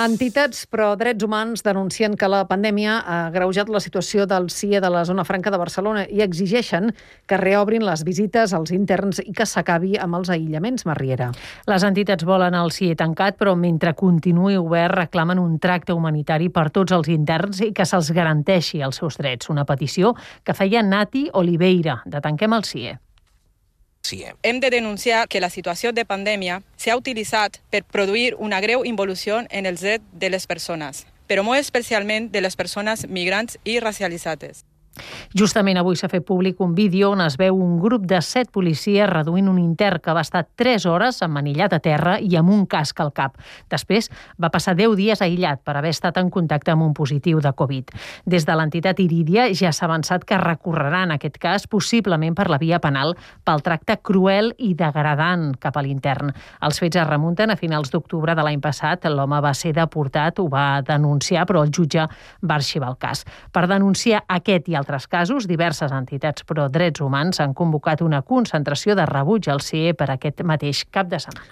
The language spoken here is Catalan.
Entitats pro drets humans denuncien que la pandèmia ha agreujat la situació del CIE de la Zona Franca de Barcelona i exigeixen que reobrin les visites als interns i que s'acabi amb els aïllaments, Marriera. Les entitats volen el CIE tancat, però mentre continuï obert reclamen un tracte humanitari per tots els interns i que se'ls garanteixi els seus drets. Una petició que feia Nati Oliveira, de Tanquem el CIE. Hem de denunciar que la situació de pandèmia s'ha utilitzat per produir una greu involució en els drets de les persones, però molt especialment de les persones migrants i racialitzades. Justament avui s'ha fet públic un vídeo on es veu un grup de 7 policies reduint un intern que va estar 3 hores emmanillat a terra i amb un casc al cap. Després va passar 10 dies aïllat per haver estat en contacte amb un positiu de Covid. Des de l'entitat Irídia ja s'ha avançat que recorreran aquest cas possiblement per la via penal pel tracte cruel i degradant cap a l'intern. Els fets es remunten a finals d'octubre de l'any passat. L'home va ser deportat, ho va denunciar, però el jutge va arxivar el cas. Per denunciar aquest i altres casos, diverses entitats pro drets humans han convocat una concentració de rebuig al CIE per aquest mateix cap de setmana.